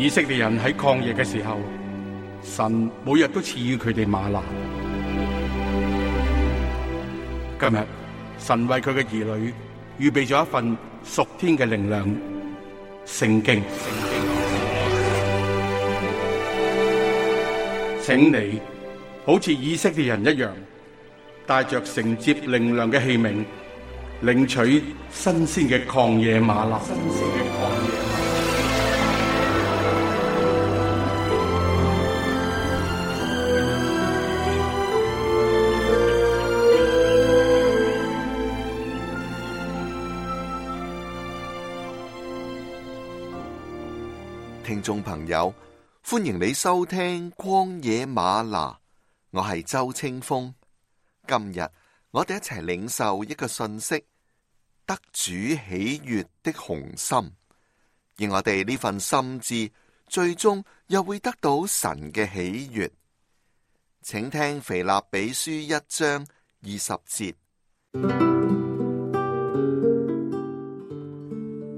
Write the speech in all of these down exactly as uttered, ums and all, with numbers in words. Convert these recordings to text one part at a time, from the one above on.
以色列人喺曠野嘅時候，神每日都賜予佢哋嗎哪。今日神為佢嘅兒女預備咗一份屬天嘅靈糧——聖經。請你好似以色列人一樣，帶着承接靈糧嘅器皿，領取新鮮嘅曠野嗎哪。聽眾朋友，歡迎你收聽曠野嗎哪，我係周清風。今日我哋一齊領受一個信息：得主喜悅的雄心，而我哋呢份心志最終又會得到神嘅喜悅。請聽腓立比書一章二十節。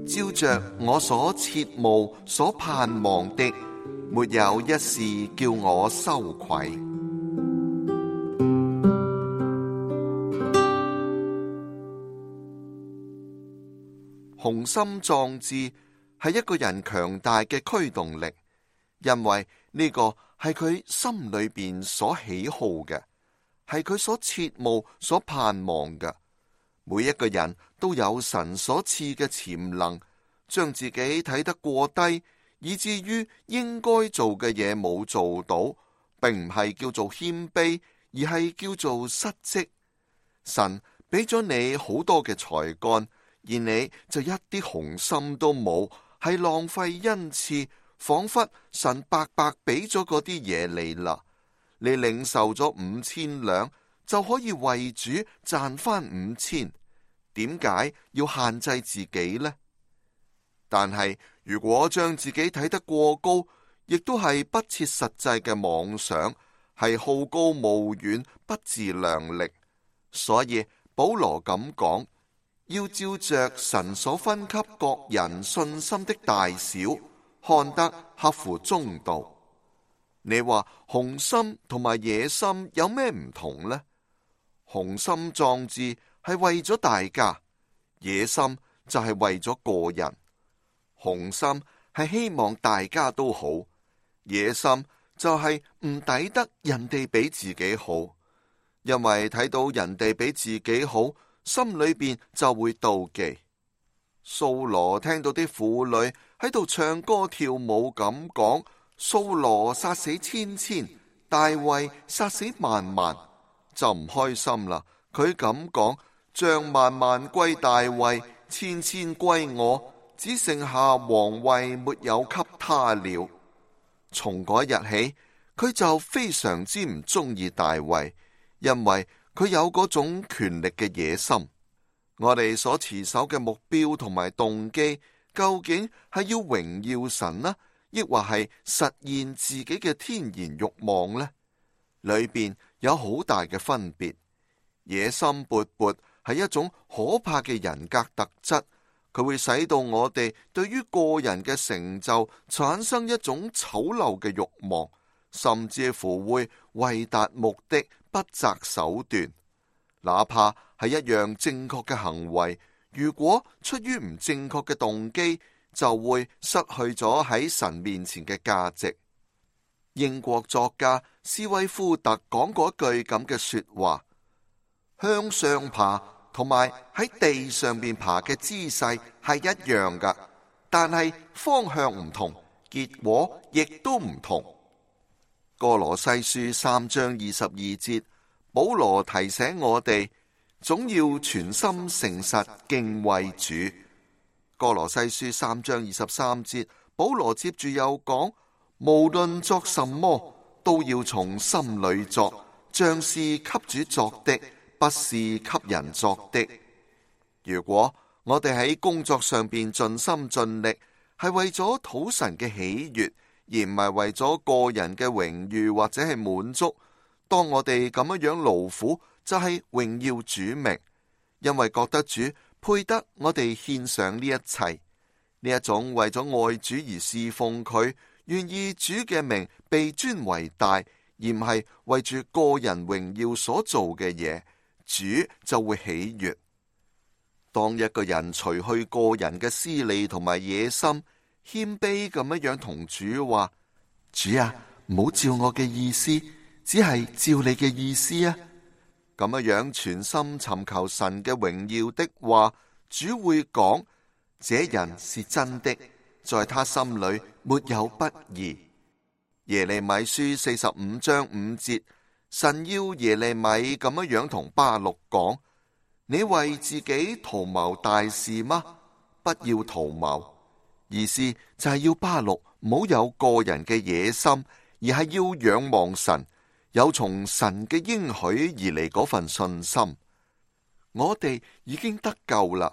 照着我所切慕、所盼望的，沒有一事叫我羞愧。雄心壯志係一個人強大嘅驅動力，因為呢個係佢心裏邊所喜好嘅，係佢所切慕、所盼望嘅。每一個人都有神所賜嘅潛能，將自己睇得過低，以至於應該做嘅嘢冇做到，並唔係叫做謙卑，而係叫做失職。神俾咗你好多嘅才幹，而你就一啲雄心都冇，係浪費恩賜，仿佛神白白俾咗嗰啲嘢你啦。你領受咗五千兩，就可以為主賺翻五千，點解要限制自己呢？但係如果將自己睇得過高，亦都係不切實際嘅妄想，係好高騖遠，不自量力。所以保羅咁講，要照着神所分給各人信心的大小，看得合乎中道。你話雄心同埋野心有咩唔同呢？雄心壯志係為咗大家，野心就係為咗個人。雄心係希望大家都好，野心就係唔抵得人哋比自己好，因為睇到人哋比自己好，心裏邊就會妒忌。掃羅聽到啲婦女喺度唱歌跳舞咁講，掃羅殺死千千，大衛殺死萬萬，就唔開心啦。佢咁講，將萬萬歸大衛，千千歸我，只剩下皇位沒有給他了。從嗰日起，佢就非常之唔中意大衛，因為佢有嗰種權力嘅野心。我哋所持守嘅目標同埋動機，究竟係要榮耀神呢，抑或係實現自己嘅天然慾望呢？裏邊有好大嘅分別。野心勃勃係一種可怕嘅人格特質，佢會使到我哋對於個人嘅成就產生一種醜陋嘅慾望，甚至乎會為達目的不擇手段。哪怕係一樣正確嘅行為，如果出於唔正確嘅動機，就會失去咗喺神面前嘅價值。英國作家斯威夫特講過一句咁嘅說話：向上爬同埋喺地上邊爬嘅姿勢係一樣噶，但係方向唔同，結果亦都唔同。歌羅西書三章二十二節，保羅提醒我哋，總要全心誠實敬畏主。歌羅西書三章二十三節，保羅接住又講，無論作什麼，都要從心裏作，像是給主作的，不是給人作的。如果我哋喺工作上邊盡心盡力，係為咗討神嘅喜悅，而唔係為咗個人嘅榮譽或者係滿足。當我哋咁樣樣勞苦，就係榮耀主名，因為覺得主配得我哋獻上呢一切。呢一種為咗愛主而侍奉佢，願意主嘅名被尊為大，而唔係為住個人榮耀所做嘅嘢，主就會喜悅。當一個人除去個人嘅私利同埋野心，謙卑咁樣樣同主話：主啊，唔好照我嘅意思，只係照你嘅意思啊！咁樣樣全心尋求神嘅榮耀的話，主會講：這人是真的，在他心裏沒有不義。耶利米書四十五章五節，神要耶利米咁樣樣同巴錄講：你為自己圖謀大事嗎？不要圖謀。意思就係要巴錄唔好有個人嘅野心，而係要仰望神，有從神嘅應許而嚟嗰份信心。我哋已經得救啦，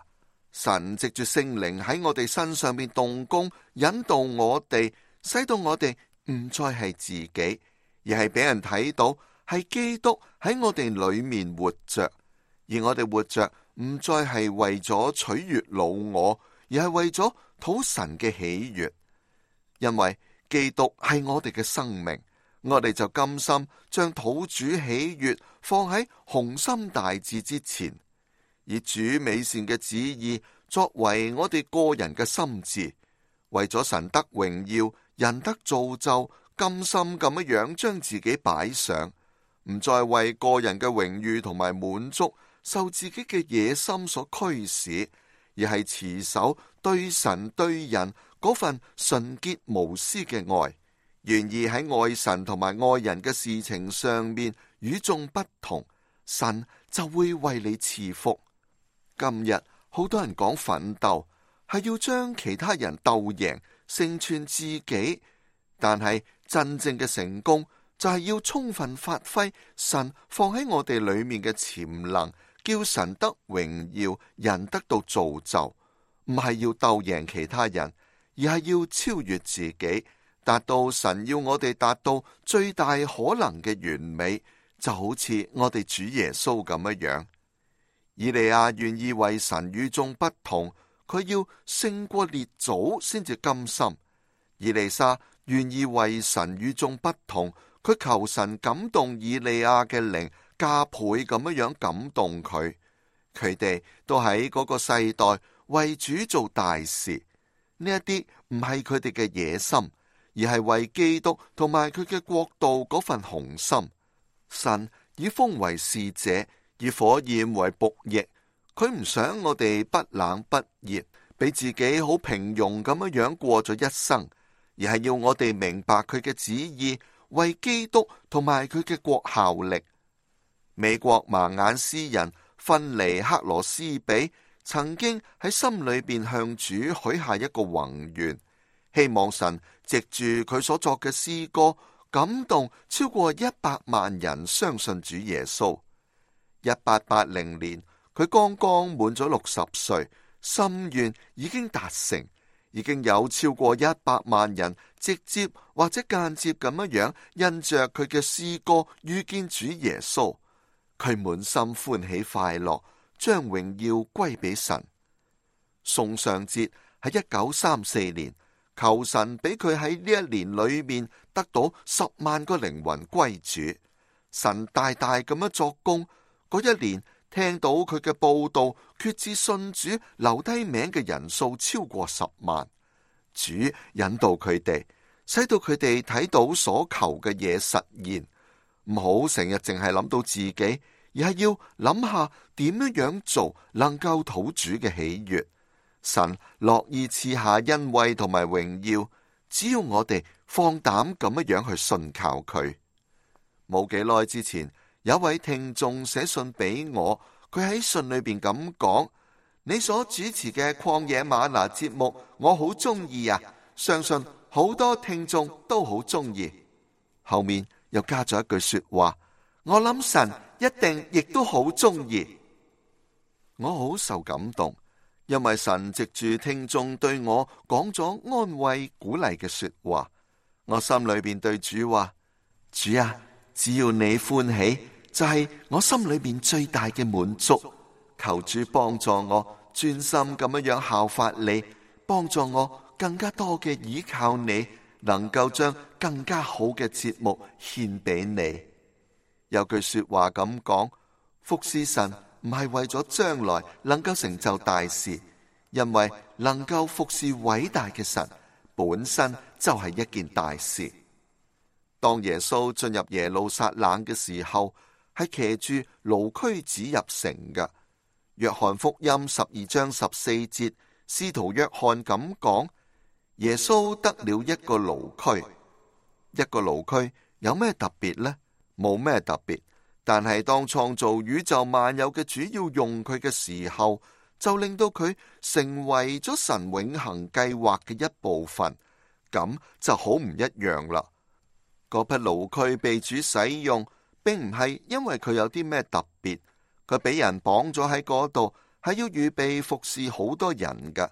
神藉住聖靈喺我哋身上邊動工，引導我哋，使到我哋唔再係自己，而係俾人睇到係基督喺我哋裏面活着，而我哋活着唔再係為咗取悅老我，而係為咗討神嘅喜悅。因為基督係我哋嘅生命，我哋就甘心將討主喜悅放喺雄心大志之前，以主美善嘅旨意作為我哋個人嘅心志，為咗神得榮耀，人得造就，甘心咁樣樣將自己擺上，唔再為個人嘅榮譽同埋滿足受自己嘅野心所驅使，而係持守對神對人嗰份純潔無私嘅愛，願意喺愛神同埋愛人嘅事情上面與眾不同，神就會為你賜福。今日好多人講奮鬥，係要將其他人鬥贏，成全自己，但係真正嘅成功就係要充分發揮神放喺我哋裏面嘅潛能，叫神得榮耀，人得到造就。唔係要鬥贏其他人，而係要超越自己，達到神要我哋達到最大可能嘅完美，就好似我哋主耶穌咁樣樣。以利亞願意為神與眾不同，佢要勝過列祖先至甘心。以利沙願意為神與眾不同，佢求神感動以利亞嘅靈，加倍咁樣樣感動佢。佢哋都喺嗰個世代為主做大事，呢一啲唔係佢哋嘅野心，而係為基督同埋佢嘅國度嗰份雄心。神以風為使者，以火焰為僕役，佢唔想我哋不冷不熱，俾自己好平庸咁樣樣過咗一生，而係要我哋明白佢嘅旨意，為基督同埋佢嘅國效力。美國盲眼詩人芬尼克羅斯比曾經喺心裏邊向主許下一個宏願，希望神藉住佢所作嘅詩歌，感動超過一百萬人相信主耶穌。一八八零年，佢剛剛滿咗六十歲，心願已經達成，已經有超過一百萬人直接或者間接咁樣樣因着佢嘅詩歌遇見主耶穌，佢滿心歡喜快樂，將榮耀歸俾神。宋尚節喺一九三四年，求神俾佢喺呢一年裏面得到十萬個靈魂歸主，神大大咁樣作工。嗰一年聽到佢嘅報道，決志信主留低名嘅人數超過十萬。主引導佢哋，使到佢哋睇到所求嘅嘢實現。唔好成日淨係諗到自己，而係要諗下點樣樣做能夠討主嘅喜悅。神樂意賜下恩惠同埋榮耀，只要我哋放膽咁樣樣去信靠佢。冇幾耐之前，有位聽眾寫信俾我，佢喺信裏邊咁講：你所主持嘅曠野嗎哪節目，我好中意啊！相信好多聽眾都好中意。後面又加咗一句說話，我諗神一定亦都好中意。我好受感動，因為神藉住聽眾對我講咗安慰鼓勵嘅說話。我心裏邊對主話：主啊，只要你歡喜，就係我心裏邊最大嘅滿足。求主幫助我專心咁樣樣效法你，幫助我更加多嘅倚靠你，能夠將更加好嘅節目獻俾你。有句說話咁講，服侍神唔係為咗將來能夠成就大事，因為能夠服侍偉大嘅神本身就係一件大事。當耶穌進入耶路撒冷嘅時候，係騎住驢駒子入城嘅。約翰福音十二章十四節，使徒約翰咁講：耶穌得了一個驢駒。一個驢駒有咩特別呢？冇咩特別，但係當創造宇宙萬有嘅主要用佢嘅時候，就令到佢成為咗神永恆計劃嘅一部分，咁就好唔一樣啦。嗰匹驢駒被主使用，並唔係因為佢有啲咩特別，佢俾人綁咗喺嗰度，係要預備服侍好多人㗎。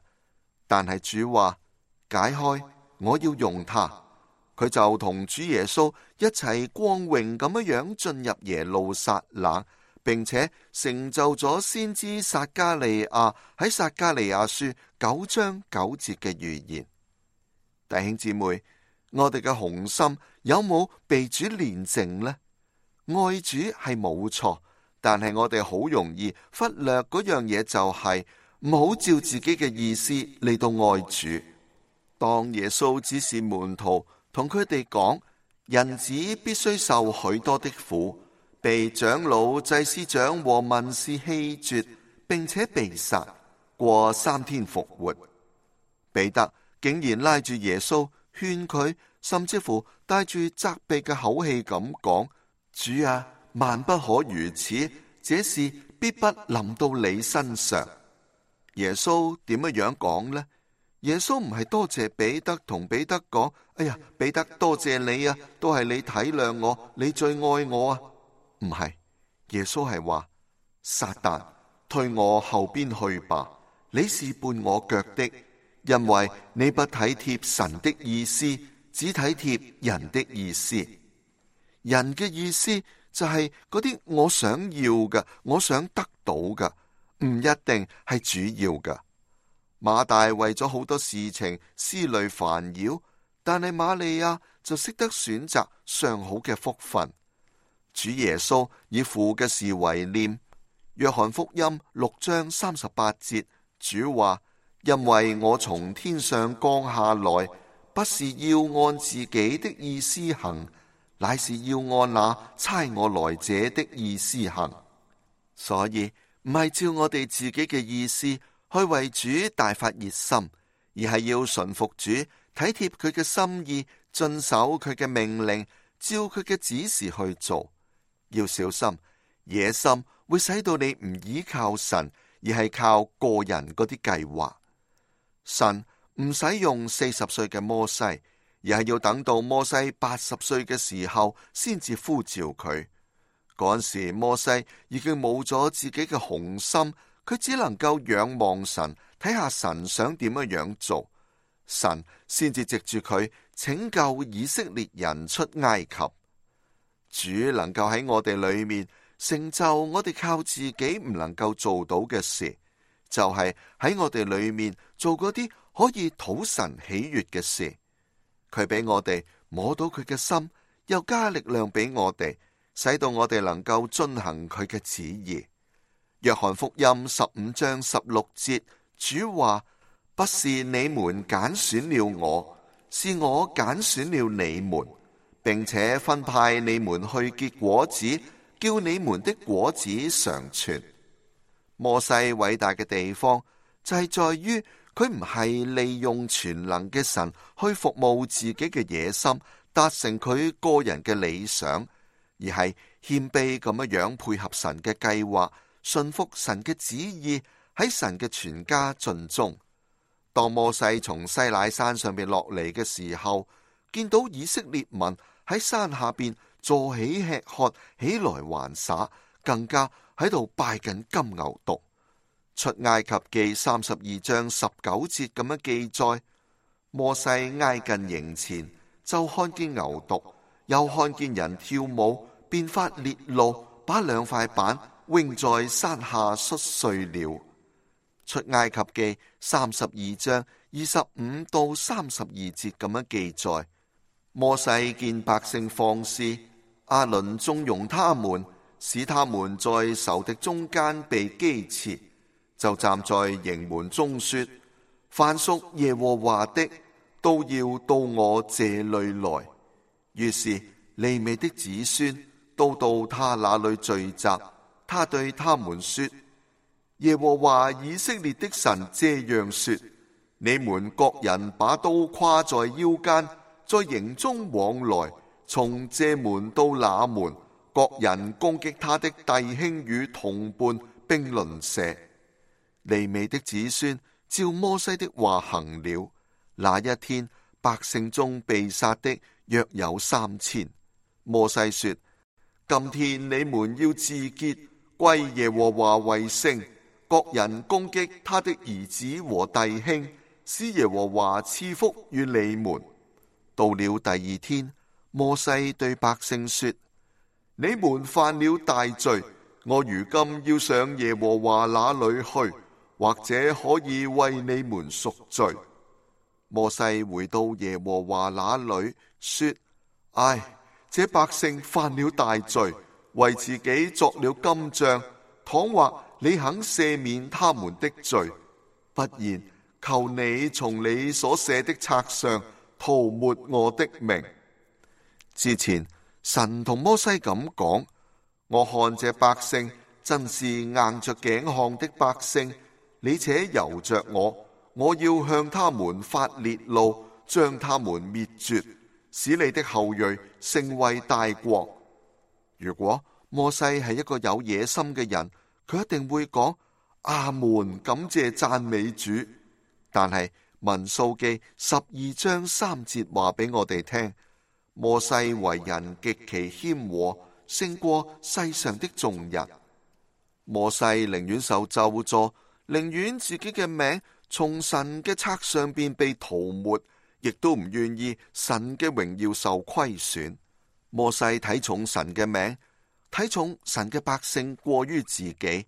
但係主話解開，我要用它。佢就同主耶穌一齊光榮咁樣進入耶路撒冷，並且成就咗先知撒迦利亞喺撒迦利亞書九章九節嘅預言。弟兄姊妹，我哋嘅紅心有冇被主煉淨呢？愛主係冇錯，但係我哋好容易忽略嗰樣嘢，就係唔好照自己嘅意思嚟到愛主。當耶穌指示門徒同佢哋講，人子必須受許多的苦，被長老、祭司長和文士棄絕，並且被殺，過三天復活。彼得竟然拉住耶穌勸佢，甚至乎帶住責備嘅口氣咁講：主啊，萬不可如此，這事必不臨到你身上。耶穌點樣樣講呢？耶穌唔係多謝彼得，同彼得講：哎呀，彼得多謝你啊，都係你體諒我，你最愛我啊。唔係，耶穌係話：撒旦，退我後邊去吧，你是絆我腳的，因為你不體貼神的意思，只體貼人的意思。人嘅意思就係嗰啲我想要嘅，我想得到嘅，唔一定係主要嘅。馬大為咗好多事情思慮煩擾，但係瑪利亞就識得選擇上好嘅福分。主耶穌以父嘅事為念。約翰福音六章三十八節，主話：因為我從天上降下來，不是要按自己的意思行，乃是要按那差我來者的意思行。所以唔係照我哋自己嘅意思去為主大發熱心，而係要順服主，體貼佢嘅心意，遵守佢嘅命令，照佢嘅指示去做。要小心，野心會使到你唔依靠神，而係靠個人嗰啲計劃。神唔使用四十歲嘅摩西，而係要等到摩西八十歲嘅時候先至呼召佢。嗰陣時摩西已經冇咗自己嘅雄心，佢只能夠仰望神，睇下神想點樣樣做，神先至藉住佢拯救以色列人出埃及。主能夠喺我哋裏面成就我哋靠自己唔能夠做到嘅事，就係喺我哋裏面做嗰啲可以討神喜悅嘅事。佢俾我哋摸到佢嘅心，又加力量俾我哋，使到我哋能夠遵行佢嘅旨意。約翰福音十五章十六節，主話：不是你們揀選了我，是我揀選了你們，並且分派你們去結果子，叫你們的果子常存。摩西偉大嘅地方就係在於佢唔係利用全能嘅神去服務自己嘅野心，達成佢個人嘅理想，而係謙卑咁樣樣配合神嘅計劃，順服神嘅旨意，喺神嘅全家盡忠。當摩西從西乃山上邊落嚟嘅時候，見到以色列民喺山下邊坐起吃喝，起來玩耍，更加喺度拜緊金牛犢。出埃及記三十二章十九節咁樣記載：摩西挨近營前，就看見牛犢，又看見人跳舞，便發烈怒，把兩塊板扔在山下摔碎了。出埃及記三十二章二十五到三十二節咁樣記載：摩西見百姓放肆，亞倫縱容他們，使他們在仇敵中間被譏刺，就站在營門中說：凡屬耶和華的，都要到我這裏來。於是利未的子孫都到他那裏聚集，他對他們說：耶和華以色列的神這樣說：你們各人把刀挎在腰間，在營中往來，從這門到那門，各人攻擊他的弟兄與同伴並鄰舍。利未的子孫照摩西的話行了。那一天，百姓中被殺的約有三千。摩西說：今天你們要自潔，歸耶和華為聖，各人攻擊他的兒子和弟兄，使耶和華賜福與你們。到了第二天，摩西對百姓說：你們犯了大罪，我如今要上耶和華那裏去，或者可以為你們贖罪。摩西回到耶和華那裏，說：唉，這百姓犯了大罪，為自己作了金像。倘或你肯赦免他們的罪，不然，求你從你所寫的冊上塗抹我的名。之前神同摩西咁講：我看這百姓真是硬着頸項的百姓，你且由着我，我要向他們發烈怒，將他們滅絕，使你的後裔成為大國。如果摩西係一個有野心嘅人，佢一定會講：阿門，感謝讚美主。但係民數記十二章三節話俾我哋聽，摩西為人極其謙和，勝過世上的眾人。摩西寧願受咒詛，寧願自己嘅名從神嘅冊上邊被塗抹，亦都唔願意神嘅榮耀受虧損。摩西睇重神嘅名，睇重神嘅百姓過於自己。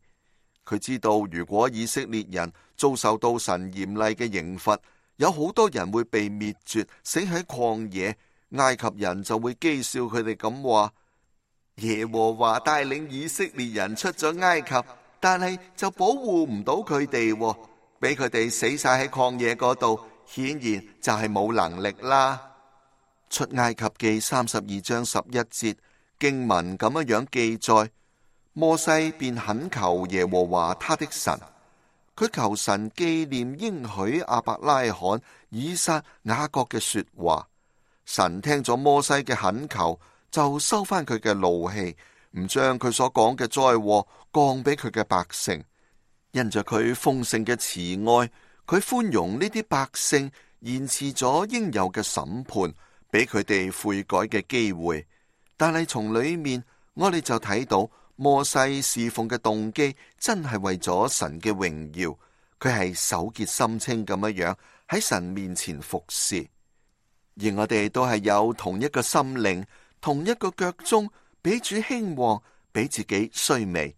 佢知道如果以色列人遭受到神嚴厲嘅刑罰，有好多人會被滅絕，死喺曠野。埃及人就會譏笑佢哋咁話：耶和華帶領以色列人出咗埃及，但係就保護唔到佢哋，俾佢哋死晒喺曠野嗰度，顯然就係冇能力啦。出埃及記三十二章十一節經文咁樣樣記載，摩西便懇求耶和華他的神，佢求神紀念應許亞伯拉罕、以撒、雅各嘅說話。神聽咗摩西嘅懇求，就收翻佢嘅怒氣，唔將佢所講嘅災禍降俾佢嘅百姓。因着佢豐盛嘅慈愛，佢寬容呢啲百姓，延遲咗應有嘅審判，俾佢哋悔改嘅機會。但係從裏面，我哋就睇到摩西侍奉嘅動機真係為咗神嘅榮耀，佢係手潔心清咁樣樣喺神面前服侍。而我哋都係有同一個心靈，同一個腳蹤，比主興旺，比自己衰微。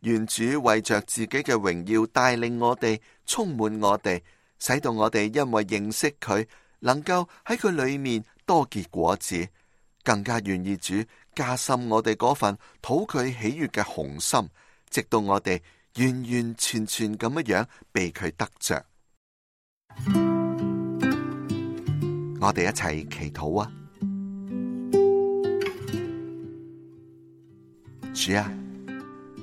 願主為着自己嘅榮耀帶領我哋，充滿我哋，使到我哋因為認識佢，能夠喺佢裏面多結果子，更加願意主加深我哋嗰份討佢喜悅嘅雄心，直到我哋完完全全咁樣樣被佢得着。我哋一齊祈禱啊！主啊，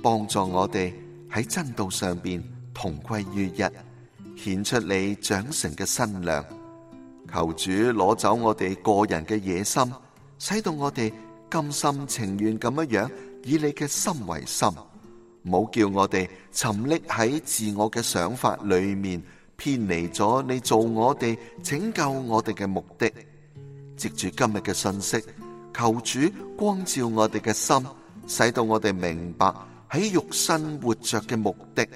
幫助我哋喺真道上邊同歸於一，顯出你長成嘅身量。求主攞走我哋個人嘅野心，使到我哋甘心情願咁樣樣以你嘅心為心，唔好叫我哋沉溺喺自我嘅想法裏面，偏離咗你做我哋拯救我哋嘅目的。藉住今日嘅信息，求主光照我哋嘅心，使到我哋明白喺肉身活着嘅目的，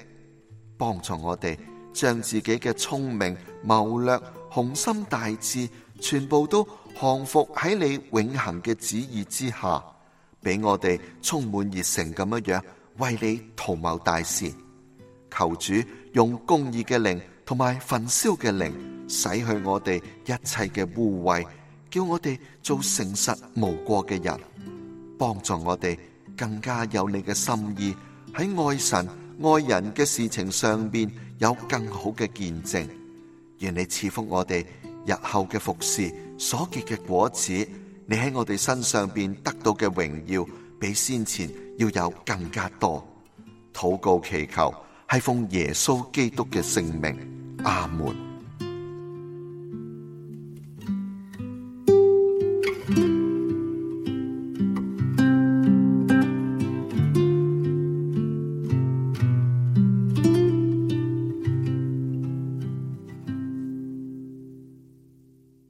幫助我哋將自己嘅聰明謀略、雄心大志全部都降服喺你永恆嘅旨意之下，俾我哋充滿熱誠咁樣樣為你圖謀大事。求主用公義嘅靈同埋焚燒嘅靈，洗去我哋一切嘅污穢，叫我哋做誠實無過嘅人，幫助我哋更加有你嘅心意，喺愛神愛人嘅事情上邊有更好嘅見證。願你賜福我哋日後嘅服侍所結嘅果子，你喺我哋身上邊得到嘅榮耀比先前要有更加多。禱告祈求係奉耶穌基督嘅聖名，阿門。